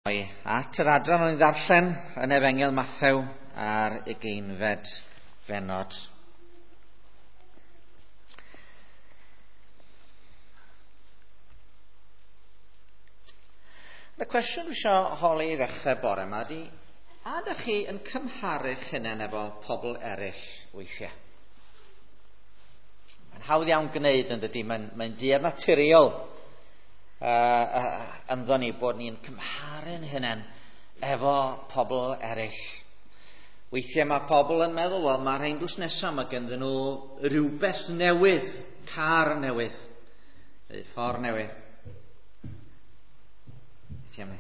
At yr adran o'n i ddarllen yn Efengyl Mathew ar 20fed fennod. Y cwestiwn dwi eisiau holi i ddechrau bore yma ydy, a ydych chi yn cymharu'ch hunain efo pobl eraill weithiau? Mae'n hawdd iawn gwneud yn dydy, mae'n duedd naturiol ynddo ni bod ni'n cymharu'n hunain efo pobl eraill. Weithiau mae pobl yn meddwl, wel, mae'r rhain drws nesaf, mae ganddyn nhw rhywbeth newydd, car newydd, neu ffordd newydd. Ti am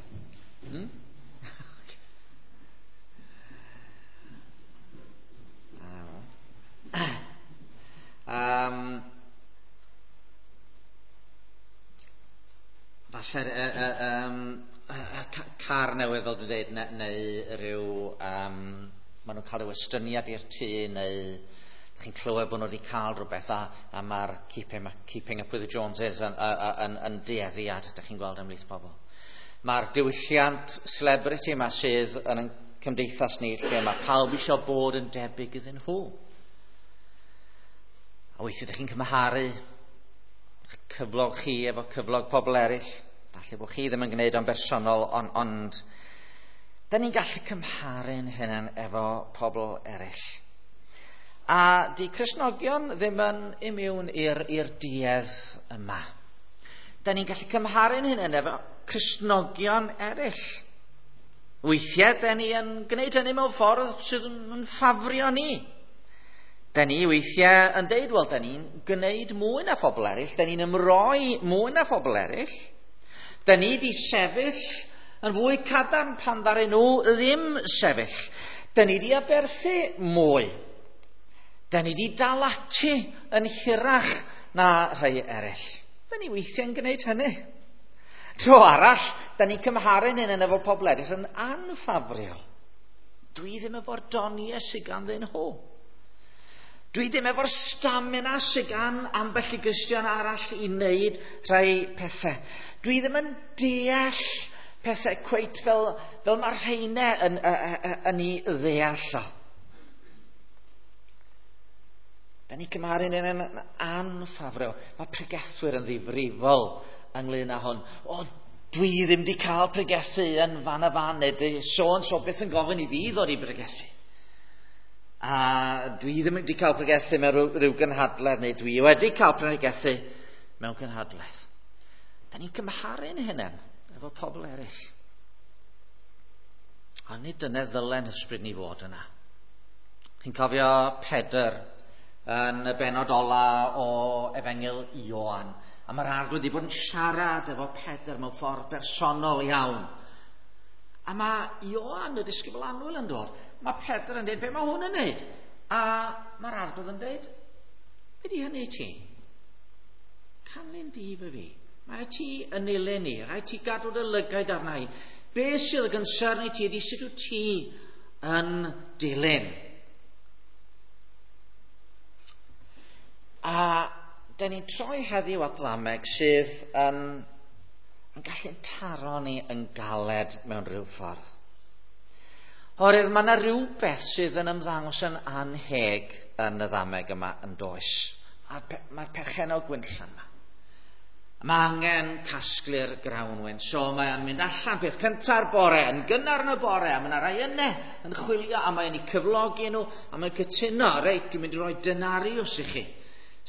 Falle car newydd, fel dwi'n dweud, neu rhyw, maen nhw'n cael rhyw estyniad i'r tŷ, neu chi'n clywed bod nhw wedi cael rhywbeth, a mae'r keeping up with the Joneses yn dueddiad, ydych chi'n gweld ymhlith pobl. Mae'r diwylliant celebrity yma sydd yn ein cymdeithas ni, lle mae pawb eisiau bod yn debyg iddyn nhw. A weithiau ydych chi'n cymharu cyflog chi efo cyflog pobl eraill. Falle bod chi ddim yn gwneud o'n bersonol, ond da ni'n gallu cymharu'n hunain efo pobl eraill. A di Cristnogion ddim yn imiwn i'r duedd yma. Da ni'n gallu cymharu'n hunain efo Cristnogion eraill. Weithiau, da ni yn gwneud hynny mewn ffordd sydd yn ffafrio ni. Da ni weithiau yn deud, wel, da ni'n gwneud mwy na phobl eraill, da ni'n ymroi mwy na phobl eraill. Da ni di sefyll yn fwy cadarn pan ddaru nhw ddim sefyll. Da ni di aberthu mwy. Da ni di dal ati yn hirach na rhai eraill. Da ni weithiau'n gwneud hynny. Tro arall, da ni'n cymharu'n hyn efo pobl eraill yn anffafriol. Dwi ddim efo'r doniau sydd ganddyn nhw. Dwi ddim efo'r stamina sydd gan ambell i Gristion arall i wneud rhai pethau. Dwi ddim yn deall pethau cweit fel mae'r rheinau yn ei ddeall o. Da ni cymharu'n un yn anffafriol. Mae pregethwyr yn ddifrifol ynglyn â hwn. O, dwi ddim wedi cael pregethu yn fan a fan, neu so beth yn gofyn i fi ddod i bregethu. A dwi ddim wedi cael pregethu mewn rhyw gynhadledd, neu dwi wedi cael pregethu mewn cynhadledd. Da ni'n cymharu'n hunain efo pobl eraill. A nid dyna ddylen ysbryd ni fod yna. Chi'n cofio Pedr yn y bennod ola o Efengyl Ioan. A mae'r Arglwydd wedi bod yn siarad efo Pedr mewn ffordd bersonol iawn. A mae Ioan, y disgybl annwyl, yn dod. Mae Pedr yn dweud, be mae hwn yn neud? A mae'r Arglwydd yn dweud, be di hynny i ti? Canlyn di fy fi. Mae ti yn nilyn ni. Rhaid ti gadw dy lygaid arna i. Be sydd yn gynsern i ti ydy sut wyt ti yn dilyn. A da ni'n troi heddiw at ddameg sydd yn gallu taro ni yn galed mewn rhyw ffordd. Oherwydd mae yna rhywbeth sydd yn ymddangos yn anheg yn y ddameg yma yn does. Mae'r perchennog gwinllan yma. Mae angen casglu'r grawnwin. So mae'n mynd allan peth cynta'r bore, yn gynnar yn y bore, a mae yna rai yna yn chwilio, a mae'n eu cyflogi nhw, a mae'n cytuno, reit, dwi'n mynd i roi denariws i chi,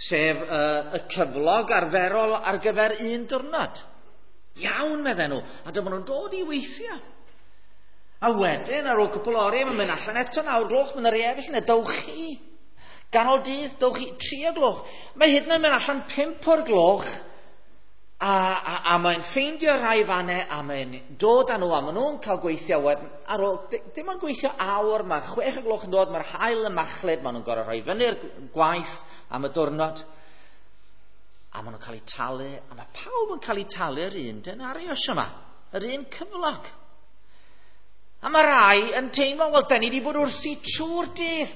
sef y cyflog arferol ar gyfer un diwrnod. Iawn, medden nhw, a dyma nhw'n dod i weithio. A wedyn, ar ôl cwpl oriau, mae'n mynd allan eto 9 gloch, mae'n rhai eraill yna, dowch chi. Ganol dydd, dowch chi, 3 gloch. Mae hyd yn oed mynd allan 5 o'r gloch, a mae'n ffeindio rhai fannau, a mae'n dod â nhw, a maen nhw'n cael gweithio wedyn. Ar ôl, dim ond gweithio awr, mae 6 gloch yn dod, mae'r haul yn machlud, maen nhw'n gorfod rhoi fyny'r gwaith am y diwrnod. A maen nhw'n cael eu talu, a mae pawb yn cael eu talu'r un denarius yma, yr un cyflog. A mae rai yn teimlo, wel, da ni wedi bod wrthi trwy'r dydd.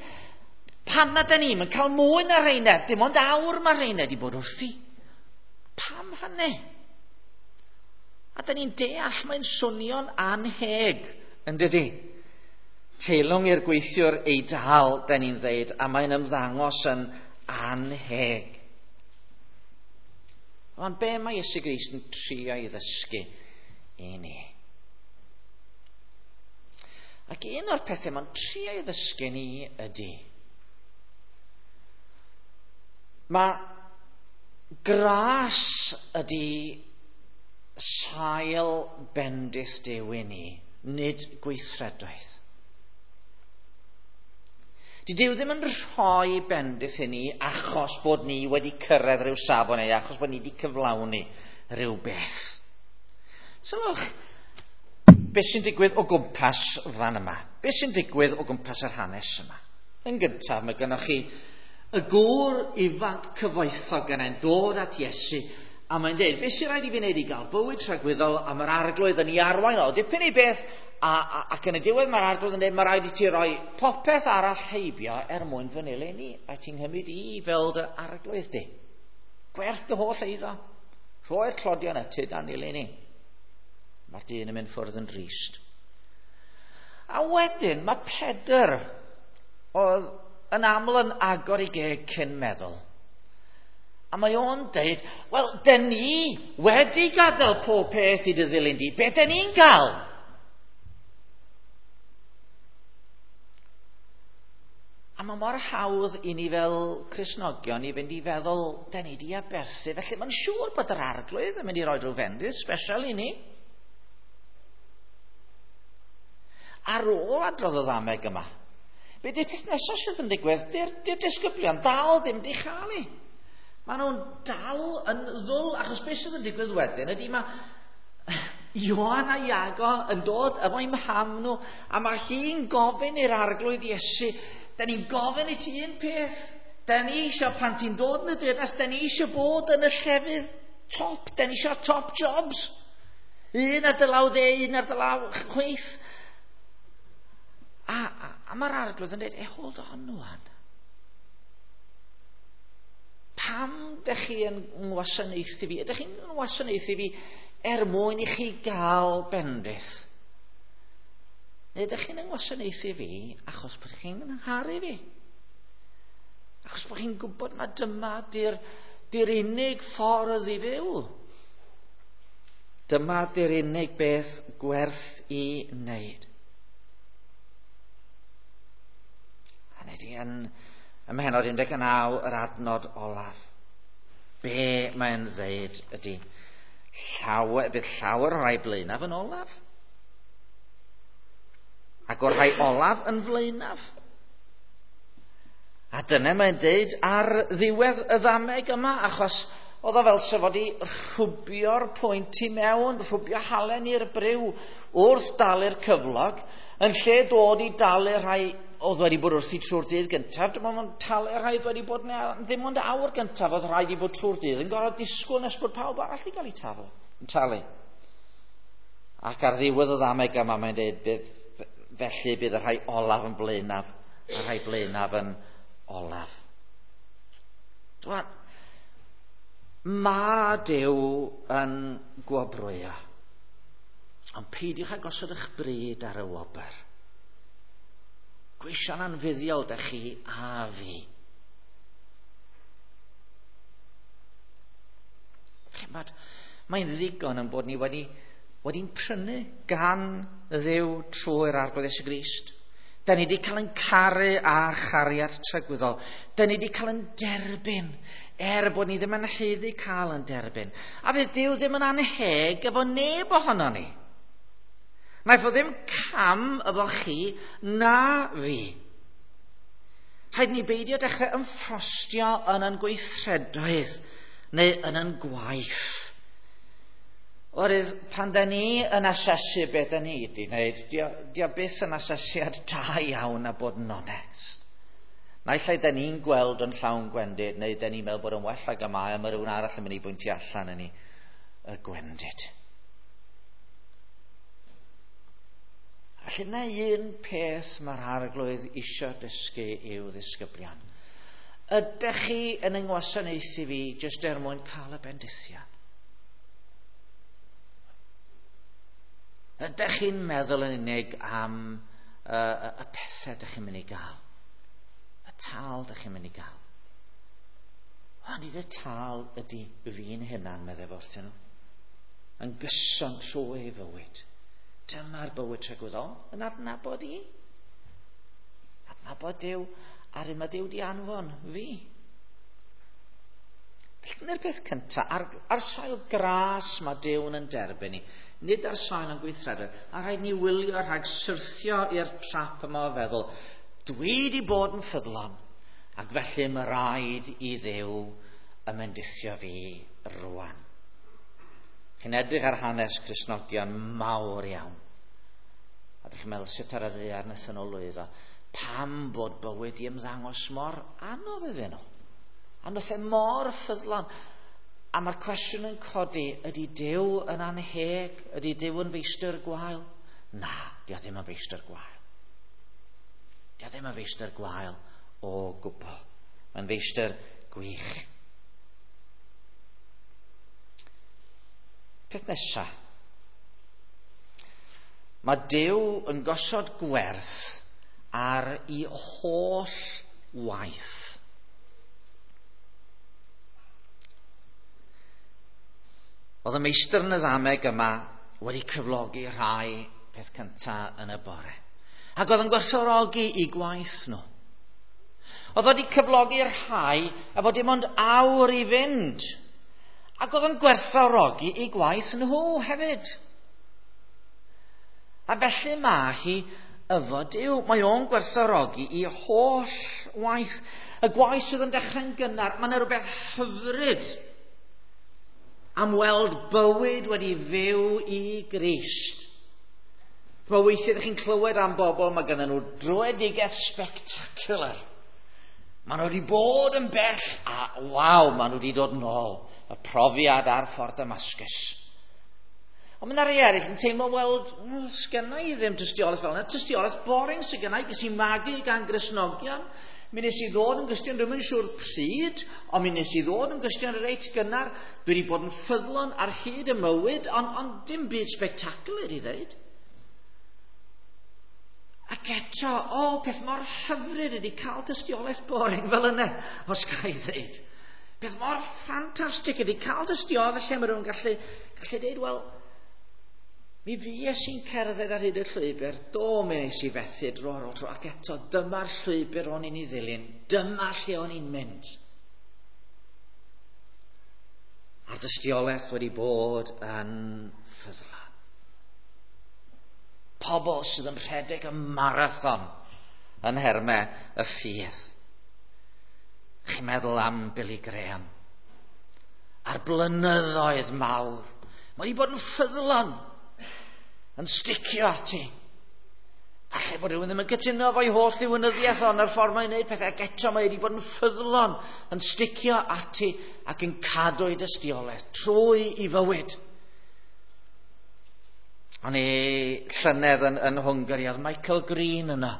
Pam na da ni'n cael mwy na rheina? Dim ond awr mae rheina wedi bod wrthi. Pam hynny? A da ni'n deall mae'n swnio'n anheg, yn dydy? Teilwng i'r gweithiwr ei dal, da ni'n ddeud, a mae'n ymddangos yn anheg. Ond be mae Iesu Grist yn trio i ddysgu i ni? Ac un o'r pethau mae'n trio i ddysgu ni ydy, mae gras ydy sail bendith Duw i ni, nid gweithredoedd. Di Duw ddim yn rhoi bendith i ni achos bod ni wedi cyrraedd rhyw safon neu achos bod ni wedi cyflawni rhyw beth. Sylwch, beth sy'n digwydd o gwmpas fan yma? Beth sy'n digwydd o gwmpas yr hanes yma? Yn gyntaf, mae gennych chi y gŵr ifanc cyfoethog yna'n dod at Iesu a mae'n dweud, beth sy'n rhaid i fi wneud i gael bywyd tragwyddol a mae'r arglwydd yn ei arwain o dipyn i beth ac yn y diwedd mae'r arglwydd yn dweud, mae rhaid i ti roi popeth arall heibio er mwyn fy nilyn i, a ti'n cymryd i fel dy arglwydd di. Gwerth dy holl eiddo. Rhoi'r tlodion y tyd a nilyn i. Mae'r dyn yn mynd ffwrdd yn drist. A wedyn mae Pedr oedd yn aml yn agor i geg cyn meddwl. A mae o'n deud, wel, dyn ni wedi gadael pob peth i dy ddilyn di. Be dyn ni'n gael? A mae mor hawdd i ni fel Cristnogion i fynd i feddwl, dyn ni di aberthu, felly mae'n siŵr bod yr arglwydd yn mynd i roi rhyw fendith special i ni. Ar ôl adrodd y ddameg yma, be di'r peth nesaf sydd yn digwydd? Di'r disgyblion dal ddim di chael ei. Maen nhw'n dal yn ddwl, achos beth sydd yn digwydd wedyn ydy mae Ioan a Iago yn dod efo'i mham nhw, a mae hi'n gofyn i'r arglwydd Iesu, da ni'n gofyn i ti un peth, da ni eisiau pan ti'n dod yn y deyrnas, da ni eisiau bod yn y llefydd top, da ni eisiau top jobs. Un ar dy law dde, un ar dy law chwith. A mae'r arglwydd yn dweud, hold on wan. Pam dych chi yn ngwasanaethu fi? Ydych chi'n ngwasanaethu fi er mwyn i chi gael bendith? Neu ydych chi'n ngwasanaethu fi achos bod chi'n ngharu fi? Achos bod chi'n gwybod mae dyma di'r unig ffordd i fyw. Dyma di'r unig beth gwerth i wneud. A nid yn ym mhennod 19 yr adnod olaf. Be mae'n ddeud ydy, bydd llawer o'r rhai blaenaf yn olaf. Ac o'r rhai olaf yn flaenaf. A dyna mae'n deud ar ddiwedd y ddameg yma, achos oedd o fel sef fod i rhwbio'r pwynt i mewn, rhwbio halen i'r briw wrth dalu'r cyflog, yn lle dod i dalu rhai oedd wedi bod wrthi trwy'r dydd gyntaf, dim ond talu rhai oedd wedi bod ddim ond awr gyntaf oedd rhaid i bod trwy'r dydd, yn gorfod disgwyl nes bod pawb arall i gael ei talu. Ac ar ddiwedd y ddameg yma mae'n dweud, felly bydd y rhai olaf yn blaenaf, a'r rhai blaenaf yn olaf. Dwan, mae Duw yn gwobrwyo, ond peidiwch â gosod eich bryd ar y wobr. Gweision anfuddiol dych chi a fi. Chimod, mae'n ddigon yn bod ni wedi'n prynu gan Dduw trwy'r Arglwydd Iesu Grist. Da ni wedi cael yn caru a chariad tragwyddol. Da ni wedi cael yn derbyn, er bod ni ddim yn haeddu cael yn derbyn. A fydd Duw ddim yn anheg efo neb ohono ni. Naeth o ddim cam efo chi na fi. Rhaid ni beidio dechrau ymffrostio yn ein gweithredoedd neu yn ein gwaith. Oherwydd pan da ni yn asesu beth da ni wedi wneud, dio byth yn asesiad da iawn a bod yn onest. Naill ai da ni'n gweld yn llawn gwendid, neu da ni'n meddwl bod yn well ag y mae, a mae rhywun arall yn mynd i bwyntio allan yn ei y gwendid. Felly na un peth mae'r arglwydd isio dysgu i'w ddisgyblion. Ydych chi yn yngwasanaethu fi jyst er mwyn cael y bendithion? Ydych chi'n meddwl yn unig am y pethau ydych chi'n mynd i gael? Y tâl ydych chi'n mynd i gael? O, nid y tâl ydy fi'n hunan, meddai fo wrthyn nhw. Yn gyson trwy ei fywyd. Dyma'r bywyd tragwyddol yn adnabod i. Adnabod Duw a'r un mae Duw di anfon fi. Felly dyna'r peth cyntaf. Ar sail gras mae Duw'n yn derbyn ni. Nid ar sail yn gweithredoedd. A rhaid ni wylio rhag syrthio i'r trap yma o feddwl, dwi di bod yn ffyddlon, ac felly mae rhaid i Dduw ymendithio fi rwan. Chi'n edrych ar hanes Cristnogion mawr iawn. A ydych chi'n meddwl sut ar y ddaear wnaethon nhw lwyddo. Pam bod bywyd i ymddangos mor anodd iddyn nhw? A nhw lle mor ffyddlon. A mae'r cwestiwn yn codi, ydy Duw yn anheg? Ydy Duw yn feistr gwael? Na, di o ddim yn feistr gwael. Di o ddim yn feistr gwael o gwbl. Mae'n feistr gwych. Peth nesaf. Mae Duw yn gosod gwerth ar ei holl waith. Oedd y meistr yn y ddameg yma wedi cyflogi rhai peth cyntaf yn y bore. Ac oedd yn gwerthfawrogi i gwaith nhw. Oedd wedi cyflogi rhai efo dim ond awr i fynd. Ac oedd yn gwerthfawrogi i gwaith nhw hefyd. A felly mae hi efo Duw. Mae o'n gwerthfawrogi i holl waith. Y gwaith sydd yn dechrau'n gynnar, mae yna rhywbeth hyfryd am weld bywyd wedi fyw i Grist. Mae weithiau ydych chi'n clywed am bobl, mae gennym nhw dröedigaeth spectacular. Maen nhw wedi bod yn bell, a waw, maen nhw wedi dod nôl. Y profiad ar ffordd Damascus. Ond mae yna rhai eraill yn teimlo, wel, sgenna i ddim tystiolaeth fel yna. Tystiolaeth boring sydd genna i, ges i magu gan Gristnogion. Mi nes i ddod yn Gristion, dwi'm yn siŵr pryd, ond mi nes i ddod yn Gristion reit gynnar. Dwi wedi bod yn ffyddlon ar hyd y mywyd, ond dim byd spectacular i ddeud. Ac eto, o, peth mor hyfryd ydy cael tystiolaeth boring fel yna, os ga i ddeud. Peth mor ffantastig ydy cael tystiolaeth lle mae rhywun gallu deud, wel, mi fues i'n cerdded ar hyd y llwybr, do, mi nes i fethu dro ar ôl tro, ac eto, dyma'r llwybr o'n i'n ei ddilyn, dyma lle o'n i'n mynd. A'r dystiolaeth wedi bod yn ffyddlon. Pobl sydd yn rhedeg y marathon yn nhermau y ffydd. Chi'n meddwl am Billy Graham. A'r blynyddoedd mawr. Mae wedi bod yn ffyddlon, yn sticio ati. Falle bod rhywun ddim yn cytuno efo'i holl ddiwinyddiaeth ond ar ffordd mae'n gwneud pethau, ac eto mae wedi bod yn ffyddlon, yn sticio ati ac yn cadw ei dystiolaeth trwy i fywyd. O'n i llynedd yn Hwngari, oedd Michael Green yno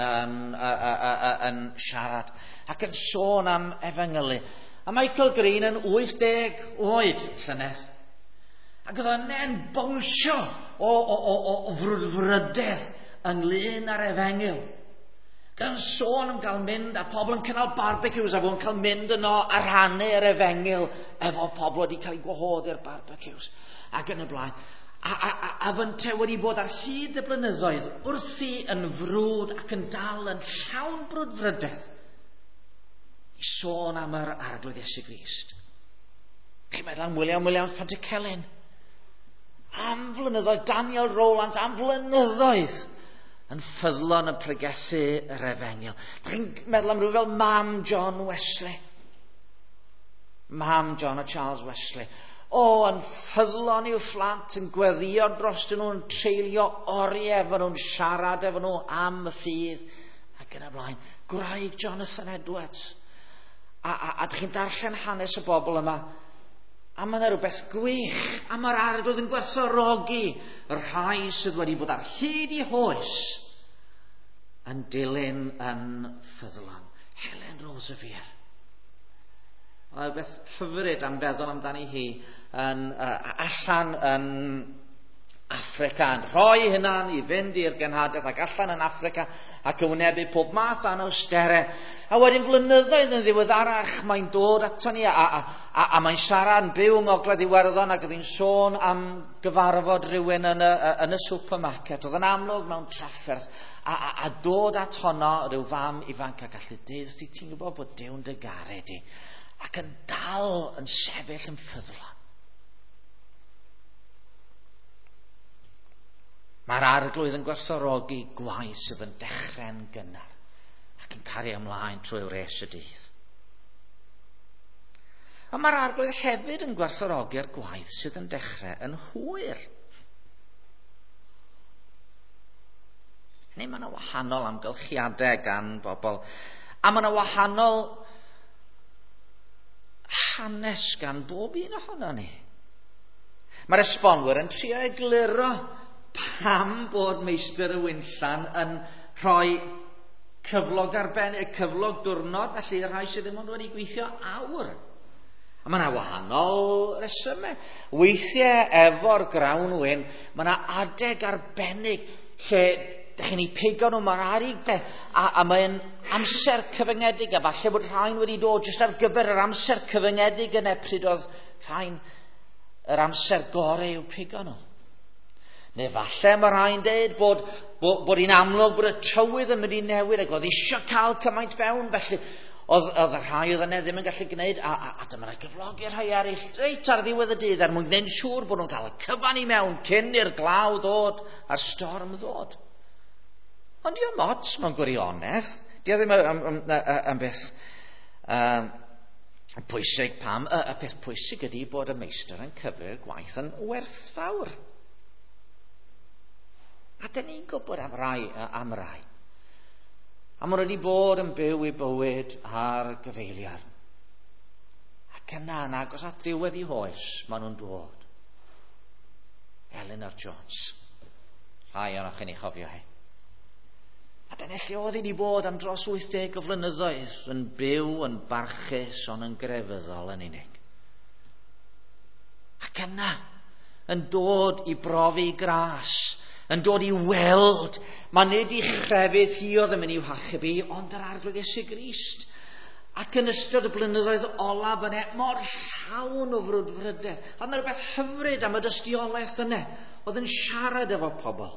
yn siarad ac yn sôn am efengylu. A Michael Green yn 80 oed llynedd. Ac oedd yna'n bownsio o frwdfrydedd ynglyn â'r efengyl. Gan sôn am gael mynd a pobl yn cynnal barbecues a fo'n cael mynd yno a rhannu yr efengyl efo pobl wedi cael eu gwahodd i'r barbecues ac yn y blaen. A fynte wedi bod ar hyd y blynyddoedd wrthi yn frwd ac yn dal yn llawn brwdfrydedd i sôn am yr Arglwydd Iesu Grist. Chi'n meddwl am William Williams Pantycelyn? Am flynyddoedd, Daniel Rowlands, am flynyddoedd yn ffyddlon yn pregethu yr efengyl. Chi'n meddwl am rhywun fel Mam John Wesley. Mam John a Charles Wesley. O, yn ffyddlon i'w phlant, yn gweddio dros nhw, yn treulio oriau efo nhw'n siarad efo nhw am y ffydd ac yn y blaen. Gwraig Jonathan Edwards. A dych chi'n darllen hanes y bobl yma. A mae yna rhywbeth gwych, a mae'r Arglwydd yn gwerthfawrogi y rhai sydd wedi bod ar hyd i hoes yn dilyn yn ffyddlon. Helen Roseveare. Mae rhywbeth hyfryd am feddwl amdani hi yn, allan yn Affrica, yn rhoi hynna'n i fynd i'r genhadaeth ac allan yn Affrica ac yn wynebu pob math o anawsterau. A wedyn flynyddoedd yn ddiweddarach mae'n dod ato ni a mae'n siarad yn byw yng Ngogledd Iwerddon ac oedd hi'n sôn am gyfarfod rhywun yn y supermarket. Oedd yn amlwg mewn trafferth a dod at honno rhyw fam ifanc a gallu deud, ti'n gwybod bod Duw'n dy garu di, ac yn dal yn sefyll yn ffyddlon. Mae'r Arglwydd yn gwerthfawrogi gwaith sydd yn dechrau'n gynnar ac yn cario ymlaen trwy wres y dydd. A mae'r Arglwydd hefyd yn gwerthfawrogi'r gwaith sydd yn dechrau yn hwyr. Neu mae yna wahanol amgylchiadau gan bobl. A mae yna wahanol hanes gan bob un ohono ni. Mae'r esbonwyr yn trio egluro pam bod meistr y winllan yn rhoi cyflog arbennig, cyflog diwrnod, felly rhai sydd ddim ond wedi gweithio awr. A mae yna wahanol resymau. Weithiau efo'r grawn wyn, mae yna adeg arbennig lle dych chi'n ei pigo nhw, mae'r arig, a mae'n amser cyfyngedig, a falle bod rhain wedi dod jyst ar gyfer yr amser cyfyngedig yna pryd oedd rhain yr amser gorau i'w pigo nhw. Neu falle mae rhai'n deud bod hi'n amlwg bod y tywydd yn mynd i newid ac oedd eisiau cael cymaint fewn, felly oedd y rhai oedd yna ddim yn gallu gwneud, a dyma yna gyflogi rhai eraill reit ar ddiwedd y dydd er mwyn gwneud yn siŵr bod nhw'n cael y cyfan i mewn cyn i'r glaw ddod a'r storm ddod. Ond dio'm ots mewn gwirionedd. Dio ddim yn beth pwysig pam. Y peth pwysig ydy bod y meistr yn cyfri'r gwaith yn werthfawr. A dyn ni'n gwybod am rai. A maen nhw wedi bod yn byw eu bywyd ar gyfeiliarn. Ac yna, yn agos at ddiwedd eu hoes, maen nhw'n dod. Eleanor Jones. Rhai ohonoch chi'n ei chofio hi. A dyna lle oedd hi wedi bod am dros 80 o flynyddoedd, yn byw, yn barchus, ond yn grefyddol yn unig. Ac yna, yn dod i brofi gras, yn dod i weld, mae nid i chrefydd hi oedd yn mynd i'w hachub hi, ond yr Arglwydd Iesu Grist. Ac yn ystod y blynyddoedd olaf yna, mor llawn o frwdfrydedd. Oedd yna rhywbeth hyfryd am y dystiolaeth yna, oedd yn siarad efo pobl.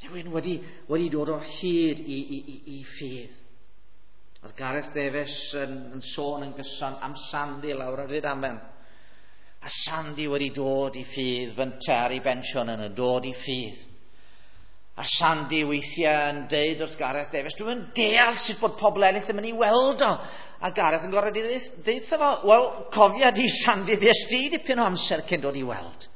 Rhywun wedi dod o hyd i ffydd. Oedd Gareth Davies yn sôn yn gyson am Sandy lawr ar Rydaman. A Sandy wedi dod i ffydd, fynte ar ei bensiwn yn dod i ffydd. A Sandy weithiau yn deud wrth Gareth Davies, dwi'n deall sut bod pobl eraill ddim yn ei weld o. A Gareth yn gorfod deud wrtho fo, wel, cofia di Sandy, fues di dipyn o amser cyn dod i weld.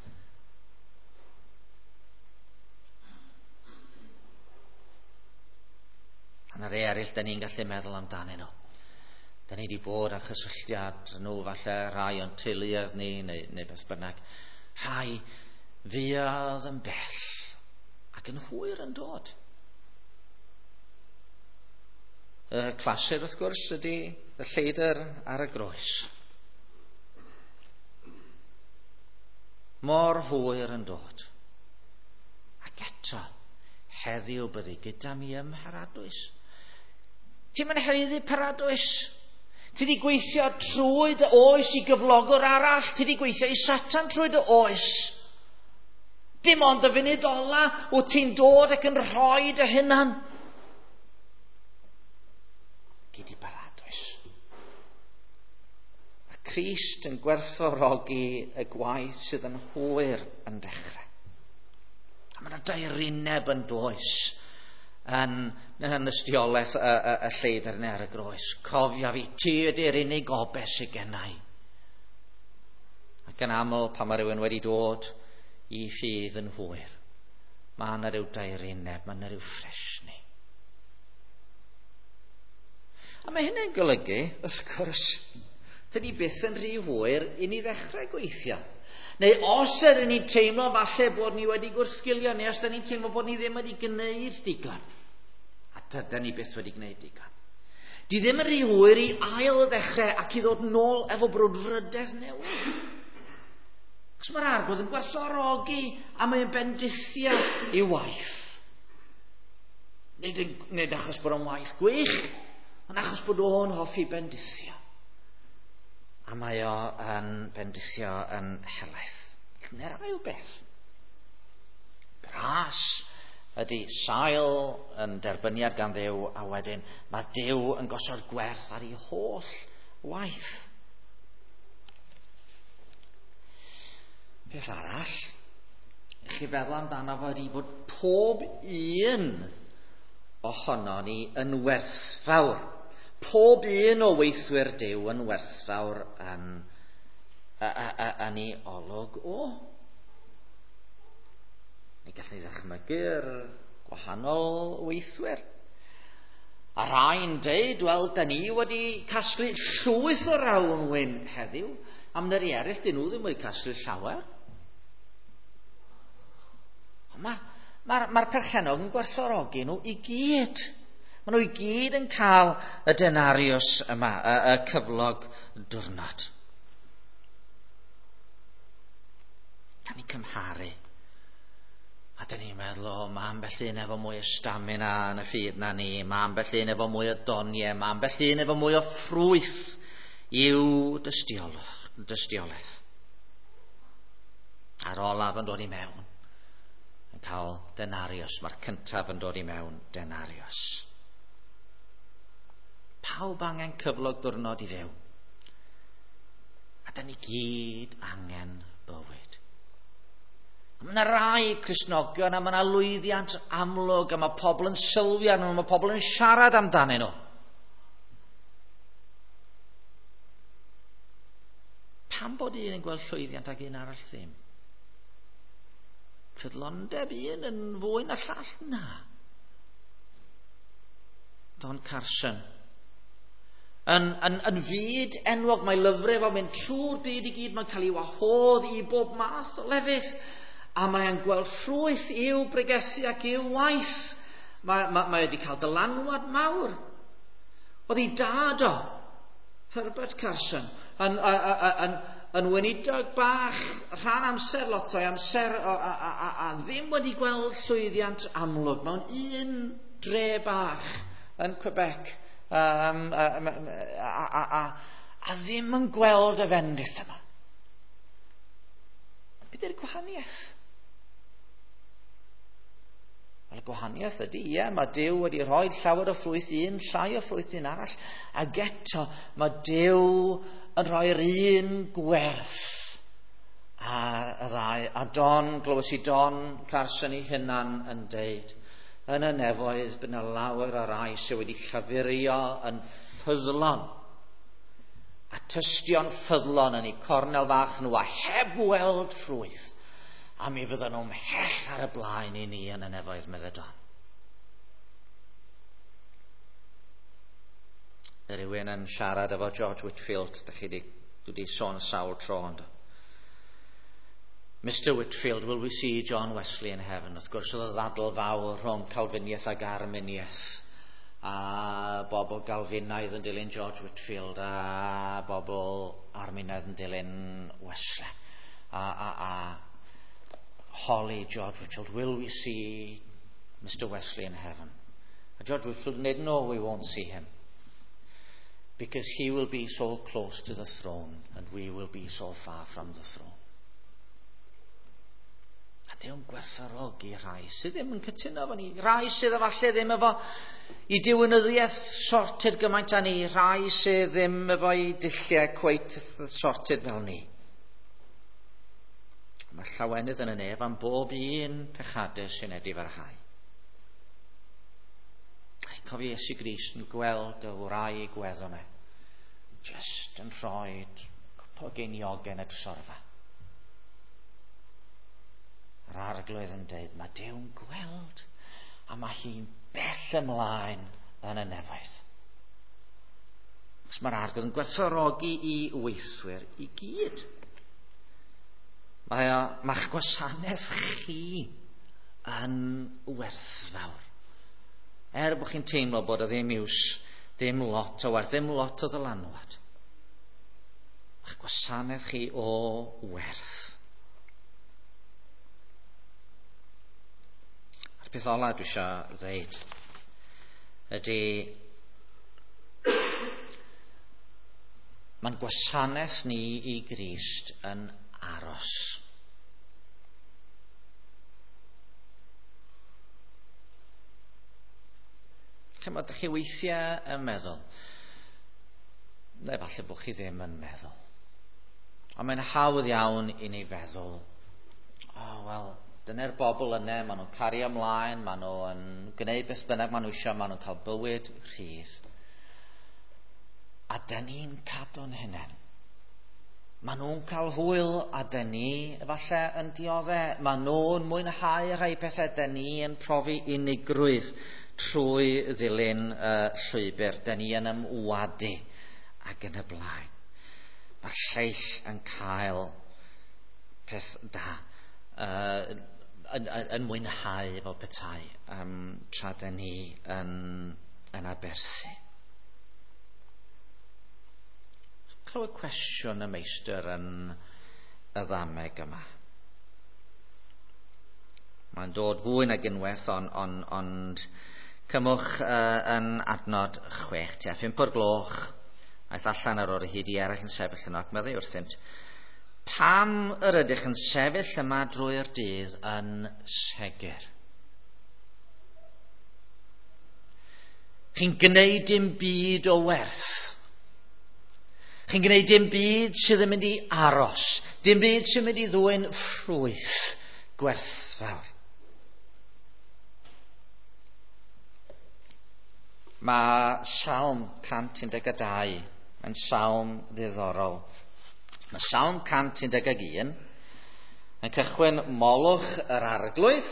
A na rei eraill, da ni'n gallu meddwl amdanyn nhw. Da ni wedi bod â chysylltiad nhw, falle rhai o'n teuluoedd ni, neu beth bynnag. Rhai fuodd yn bell ac yn hwyr yn dod. Y clasur, wrth gwrs, ydy y lleidr ar y groes. Mor hwyr yn dod. Ac eto, heddiw byddi gyda mi ym mharadwys. Ti'm yn haeddu paradwys. Ti di gweithio trwy dy oes i gyflogwr arall. Ti di gweithio i Satan trwy dy oes. Dim ond y funud ola wyt ti'n dod ac yn rhoi dy hunan. Gyd i baradwys. A Crist yn gwerthfawrogi y gwaith sydd yn hwyr yn dechrau. A mae yna daerineb yn does yn ystiolaeth y lleidr neu ar y groes. Cofia fi, ti ydy'r unig obaith sydd gennau. Ac yn aml pan mae rhywun wedi dod i ffydd yn hwyr, mae yna rhyw daerineb, mae yna rhyw ffresni. A mae hynny'n golygu, wrth gwrs, dydy byth yn rhy hwyr i ni ddechrau gweithio. Neu os ydyn ni'n teimlo falle bod ni wedi gwrthgilio, neu os ydyn ni'n teimlo bod ni ddim wedi gwneud digon. A dydyn ni byth wedi gwneud digon. Di ddim yn rhy hwyr i ail ddechrau ac i ddod nôl efo brwdfrydedd newydd. Achos mae'r Arglwydd yn gwerthfawrogi a mae'n bendithio i waith. Nid achos bod o'n waith gwych, ond achos bod o'n hoffi bendithio. A mae o yn bendithio yn helaeth. Cymer ail beth. Gras ydy sail yn derbyniad gan Dduw, a wedyn mae Duw yn gosod gwerth ar ei holl waith. Peth arall, chi feddwl amdano fo ydy bod pob un ohono ni yn werthfawr. Pob un o weithwyr Duw yn werthfawr yn ei olwg o. Ni gallwn ni ddychmygu'r gwahanol weithwyr. A rhai'n deud, wel, da ni wedi casglu llwyth o rawn wyn heddiw, a mynd yr eraill, dyn nhw ddim wedi casglu llawer. Ond mae'r perchennog yn gwerthfawrogi nhw i gyd. Maen nhw i gyd yn cael y denarius yma, y cyflog diwrnod. Gan ni cymharu. A dyn ni'n meddwl, o, mae ambell un efo mwy o stamina yn y ffydd na ni, mae ambell un efo mwy o doniau, mae ambell un efo mwy o ffrwyth i'w dystiolaeth. A'r olaf yn dod i mewn, yn cael denarius, mae'r cyntaf yn dod i mewn denarius. Pawb angen cyflog diwrnod i fyw. A dyn ni gyd angen bywyd. Mae yna rai Cristnogion a mae yna lwyddiant amlwg a mae pobl yn sylwi arnyn nhw, mae pobl yn siarad amdanyn nhw. Pam bod un yn gweld llwyddiant ac un arall ddim? Ffyddlondeb un yn fwy na'r llall? Na. Don Carson. Yn fyd enwog, mae lyfrau fo'n mynd trwy'r byd i gyd, mae'n cael ei wahodd i bob math o lefydd. A mae'n gweld ffrwyth i'w bregethu ac i'w waith. Mae wedi cael dylanwad mawr. Oedd ei dad o, Herbert Carson, yn weinidog bach rhan amser lot o'i amser a ddim wedi gweld llwyddiant amlwg mewn un dre bach yn Quebec a ddim yn gweld y fendith yma. Be di'r gwahaniaeth? Wel, y gwahaniaeth ydy, ie, mae Duw wedi rhoi llawer o ffrwyth un, llai o ffrwyth un arall, ac eto mae Duw yn rhoi'r un gwerth ar y ddau. A Don, glywes i Don Carson ei hunan yn deud, yn y nefoedd bydd yna lawer o rai sydd wedi llafurio yn ffyddlon a tystio'n ffyddlon yn eu cornel fach nhw a heb weld ffrwyth, a mi fydden nhw'n mhell ar y blaen i ni yn y nefoedd, meddai Don. Rhywun yn siarad efo George Whitefield, dach chi wedi sôn sawl tro, ond Mr Whitefield, will we see John Wesley in heaven? Wrth gwrs, oedd y ddadl fawr rhwng Calfiniaeth ac Arminiaeth, a bobl Galfinaidd yn dilyn George Whitefield a bobl Arminaidd yn dilyn Wesley. A holi George Whitefield, will we see Mr Wesley in heaven? A George Whitefield said, no, we won't see him, because he will be so close to the throne and we will be so far from the throne. A Dyw'n gwerthfawrogi rhai sydd ddim yn cytuno efo ni, rhai sydd efallai ddim efo i diwinyddiaeth sorted gymaint â ni, rhai sydd ddim efo i dulliau cweit sorted fel ni. Mae llawenydd yn y nef am bob un pechadur sy'n edifarhau. Cofio Iesu Grist yn gweld y wraig weddw yna, just yn rhoi cwpl o geiniogau yn y trysorfa. Yr Arglwydd yn deud, mae Duw'n gweld a mae hi'n bell ymlaen yn y nefoedd. Achos mae'r Arglwydd yn gwerthfawrogi i weithwyr i gyd. Mae'ch gwasanaeth chi yn werthfawr. Er bod chi'n teimlo bod o ddim iws, ddim lot o werth, ddim lot o ddylanwad. Mae'ch gwasanaeth chi o werth. Peth ola dwi eisiau ddeud ydy mae'n gwasanaeth ni i Grist yn aros. Chymod, ydych chi weithiau yn meddwl, neu falle bod chi ddim yn meddwl, ond mae'n hawdd iawn i ni feddwl, oh, wel, dyna'r bobl yna, maen nhw'n cario ymlaen, maen nhw'n gwneud beth bynnag maen nhw eisiau, maen nhw'n cael bywyd rhydd. A dyn ni'n cadw'n hunain. Maen nhw'n cael hwyl a dyn ni efallai yn dioddau. Maen nhw'n mwynhau rhai pethau, dyn ni yn profi unigrwydd trwy ddilyn y llwybr. Dyn ni yn ymwadu ac yn y blaen. Mae'r lleill yn cael peth da, yn mwynhau fel petai, tra dyn ni yn aberthu. Clywed cwestiwn y meistr yn y ddameg yma. Mae'n dod fwy nag unwaith, ond cymwch yn adnod 6, tua 5 o'r gloch, aeth allan ar ôl hyd i eraill yn sefyll yno ac meddai wrthynt, pam yr ydych yn sefyll yma drwy'r dydd yn segur? Chi'n gwneud dim byd o werth. Chi'n gwneud dim byd sydd yn mynd i aros, dim byd sy'n mynd i ddwyn ffrwyth gwerthfawr. Mae Salm 112 yn salm ddiddorol. Mae Salm 111 yn cychwyn molwch yr arglwydd,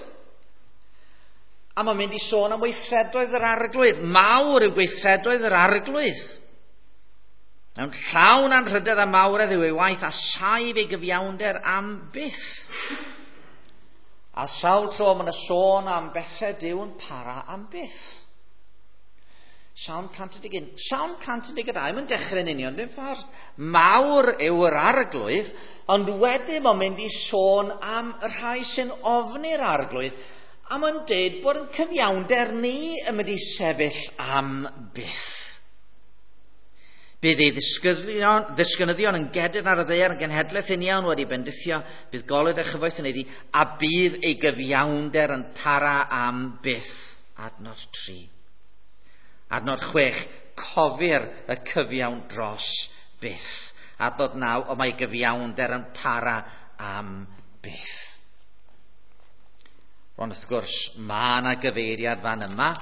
a mae'n mynd i sôn am weithredoedd yr arglwydd. Mawr yw gweithredoedd yr arglwydd. Mewn llawn anrhydedd a mawredd yw ei waith, a saif ei gyfiawnder am byth. A sawl tro mae'n sôn am bethau Duw yn para am byth. Salm 111. Salm 112, mae'n dechrau'n union ddim ffordd. Mawr yw yr arglwydd, ond wedyn mae'n mynd i sôn am y rhai sy'n ofni'r arglwydd, a mae'n deud bod yn cyfiawnder ni yn mynd i sefyll am byth. Bydd ei ddisgynyddion yn gedyrn ar y ddaear yn genhedlaeth uniawn wedi bendithio, bydd golud a chyfoeth yn ei di, a bydd ei gyfiawnder yn para am byth. Adnod 3. Adnod 6, cofir y cyfiawn dros byth. Adnod 9, o mae gyfiawnder yn para am byth. Ond wrth gwrs, mae yna gyfeiriad fan yma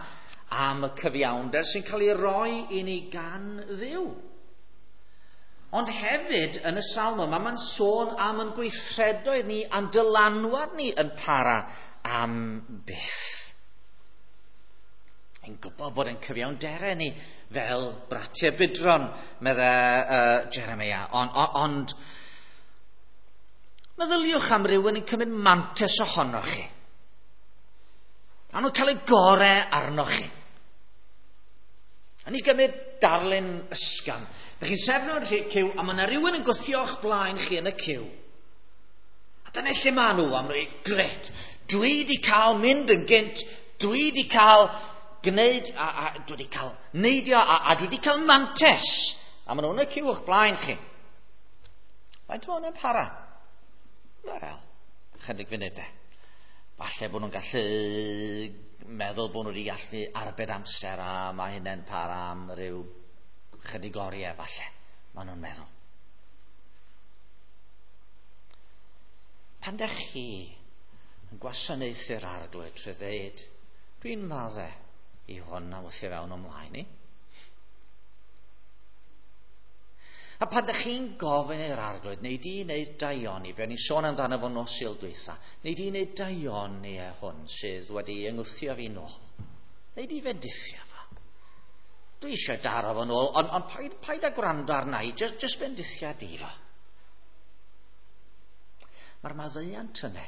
am y cyfiawnder sy'n cael ei roi i ni gan Dduw. Ond hefyd, yn y salm yma, mae'n sôn am yn gweithredoedd ni a'n dylanwad ni yn para am byth. Yn gwybod bod yn cyfiawnderau ni fel bratiau budron, meddai Jeremia. Ond meddyliwch am rywun yn cymryd mantais ohonoch chi. A nhw'n cael eu gorau arnoch chi. A ni gymryd darlun ysgafn. Dych chi'n sefyll yn y cyw, a mae yna rhywun yn gwthio o'ch blaen chi yn y cyw. A dyna lle maen nhw am rei, gret, dwi wedi cael mynd yn gynt, dwi wedi cael gwneud, a dwi wedi cael neidio, a dwi wedi cael mantes. A maen nhw'n y cyw o'ch blaen chi. Faint o hwnna'n para? Wel, chydig funudau. Falle bod nhw'n gallu meddwl bod nhw wedi gallu arbed amser a mae hynny'n para am ryw chydig oriau falle, maen nhw'n meddwl. Pan dych chi yn gwasanaethu'r arglwydd trwy ddeud, dwi'n maddau i hwn a wrth i fewn ymlaen i. A pan dych chi'n gofyn i'r arglwydd, neu di wneud daioni, be o'n i'n sôn amdano fo nos Sul dwytha, neu di wneud daioni e hwn sydd wedi yngwthio fi nôl, neu di fendithio fo. Dwi eisiau daro fo nôl, ond paid â gwrando arna i, just bendithia di fo. Mae'r maddeuant yna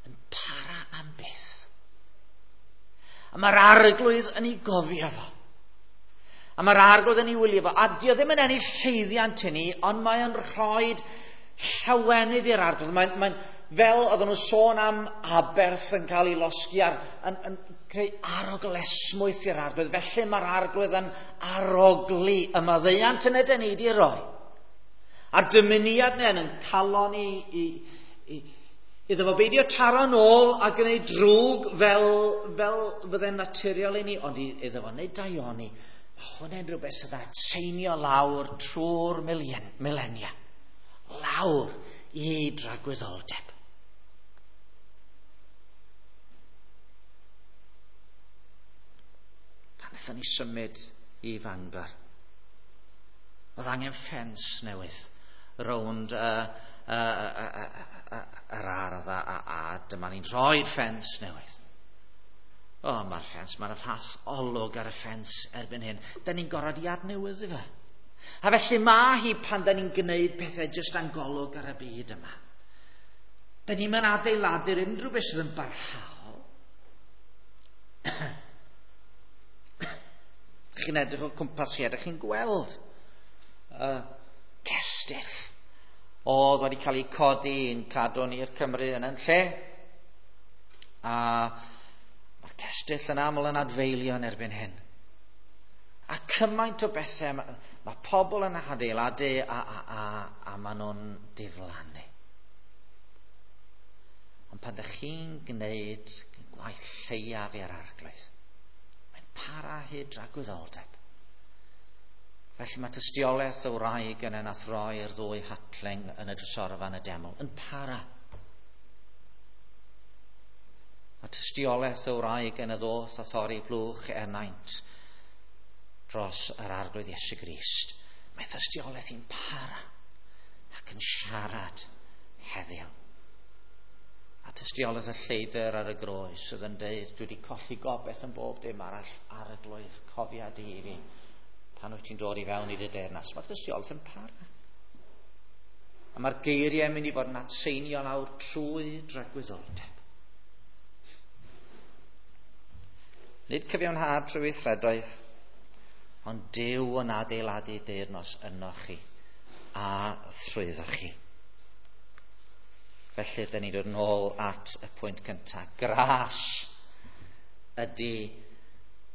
yn para am byth. A mae'r arglwydd yn ei gofio fo. A mae'r arglwydd yn ei wylio fo. A dio ddim yn ennill llwyddiant i ni, ond mae'n rhoi llawenydd i'r arglwydd. Mae'n fel oedden nhw'n sôn am aberth yn cael ei losgi ar, yn creu arogl esmwyth i'r Arglwydd. Felly mae'r Arglwydd yn arogli y maddeuant yna dyn ni wedi roi. A'r dymuniad yna yn calon i iddo fo beidio taro nôl a gwneud drwg fel fydde'n naturiol i ni, ond iddo fo wneud daioni. Mae hwnna'n rhywbeth sydd yn atseinio lawr trwy'r milenia. Lawr i dragwyddoldeb. Pan wnaethon ni symud i Fangor, oedd angen ffens newydd rownd yr ardd a dyma ni'n rhoi'r ffens newydd. O, mae'r ffens, mae'r fath olwg ar y ffens erbyn hyn. Da ni'n gorfod i adnewyddu fe. A felly mae hi pan da ni'n gwneud pethau jyst a'n golwg ar y byd yma. Da ni'n mynd adeiladu'r unrhyw beth sydd yn barhaol. Chi'n edrych o cwmpas chi, ydych chi'n gweld cestyll oedd wedi cael eu codi yn cadw ni'r Cymru yn yn lle. A mae'r cestyll yn aml yn adfeilio yn erbyn hyn. A cymaint o bethau, mae pobl yn adeiladu a maen nhw'n diflannu. Ond pan ydych chi'n gwneud gwaith lleiaf i'r Arglwydd, mae'n para hyd dragwyddoldeb. Felly mae tystiolaeth y wraig yn nath roi'r ddwy hatling yn y drysorfa yn y deml yn para. Mae tystiolaeth y wraig yn y ddoth a thorri blwch enaint dros yr Arglwydd Iesu Grist. Mae tystiolaeth hi'n para ac yn siarad heddiw. A tystiolaeth y lleidr ar y groes sydd yn deud, dwi wedi colli gobaith yn bob dim arall, Arglwydd, cofia di i fi pan wyt ti'n dod i fewn i dy deyrnas. Mae'r tystiolaeth yn para. A mae'r geiriau yn mynd i fod yn atseinio lawr trwy dragwyddoldeb. Nid cyfiawnhad trwy weithredoedd, ond Duw yn adeiladu deyrnas ynoch chi a thrwyddoch chi. Felly, dyn ni'n dod nôl at y pwynt cyntaf. Gras ydy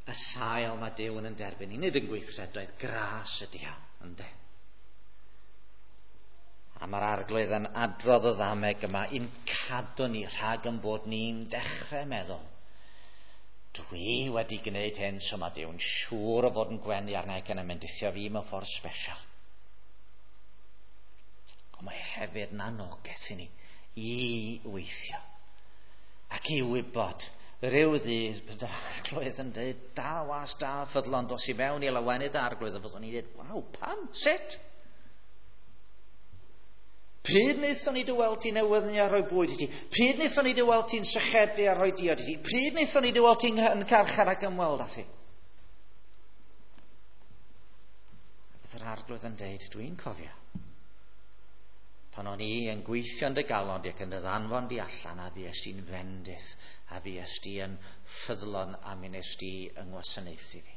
y sail mae Duw yn derbyn ni. Nid yn gweithredoedd, gras ydy o, ynde. A mae'r Arglwydd yn adrodd y ddameg yma i'n cadw ni rhag yn bod ni'n dechrau meddwl. Dwi wedi gwneud hyn, so mae Duw'n siŵr o fod yn gwenu arna ac yn ymendithio fi mewn ffordd special. Ond mae hefyd yn anogaeth i ni i weithio ac i wybod rhyw ddydd bydd yr Arglwydd yn dweud, da was, da ffyddlon, dos i mewn i lawenydd Arglwydd, a fyddwn ni'n dweud, waw, pam, sut? Pryd wnaethon ni dy weld ti'n newyddu a rhoi bwyd i ti? Pryd wnaethon ni dy weld ti'n sychedu a rhoi diod i ti? Pryd wnaethon ni dy weld ti'n yn carchar ac ymweld â thi? Bydd yr Arglwydd yn dweud, dwi'n cofio. Pan o'n i yn gweithio yn dy galon di ac yn dy ddanfon di allan, a fuest di'n fendith, a fuest di yn ffyddlon, a mi nes di yng ngwasanaethu fi.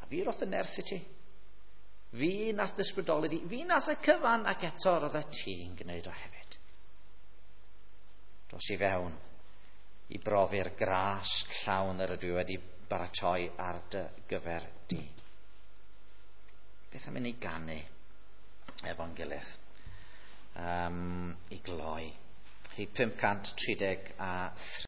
A fi roth y nerth i ti. Fi nath ddysbrydoli di. Fi nath y cyfan, ac eto roedd y ti'n gwneud o hefyd. Dos i fewn i brofi'r gras llawn yr ydw i wedi baratoi ar dy gyfer di. Beth am i ni ganu efo'n gilydd? I gloi. Rhif 533.